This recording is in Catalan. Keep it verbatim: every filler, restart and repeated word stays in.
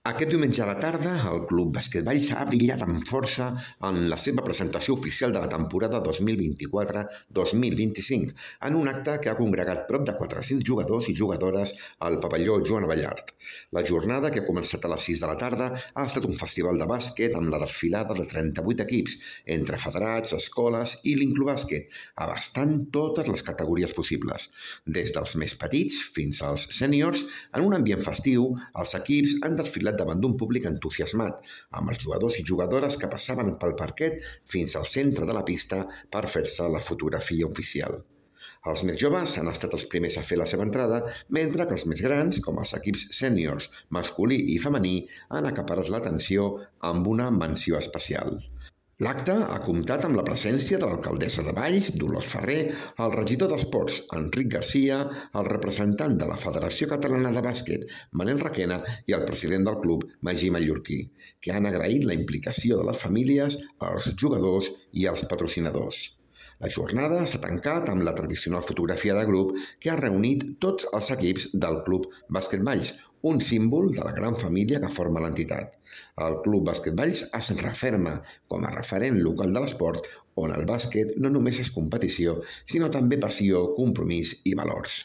Aquest diumenge a la tarda, el Club Bàsquet Valls ha brillat amb força en la seva presentació oficial de la temporada dos mil vint-i-quatre dos mil vint-i-cinc, en un acte que ha congregat prop de quatre-cents jugadors i jugadores al pavelló Joan Abellart. La jornada, que ha començat a les sis de la tarda, ha estat un festival de bàsquet amb la desfilada de trenta-vuit equips, entre federats, escoles i l'Inclubàsquet, abastant totes les categories possibles. Des dels més petits fins als sèniors, en un ambient festiu, els equips han desfilat davant d'un públic entusiasmat, amb els jugadors i jugadores que passaven pel parquet fins al centre de la pista per fer-se la fotografia oficial. Els més joves han estat els primers a fer la seva entrada, mentre que els més grans, com els equips sèniors, masculí i femení, han acaparat l'atenció amb una menció especial. L'acte ha comptat amb la presència de l'alcaldessa de Valls, Dolors Ferrer, el regidor d'Esports, Enric Garcia, el representant de la Federació Catalana de Bàsquet, Manel Requena, i el president del club, Magí Mallorquí, que han agraït la implicació de les famílies, els jugadors i els patrocinadors. La jornada s'ha tancat amb la tradicional fotografia de grup que ha reunit tots els equips del Club Bàsquet Valls, un símbol de la gran família que forma l'entitat. El Club Bàsquet Valls es referma com a referent local de l'esport, on el bàsquet no només és competició, sinó també passió, compromís i valors.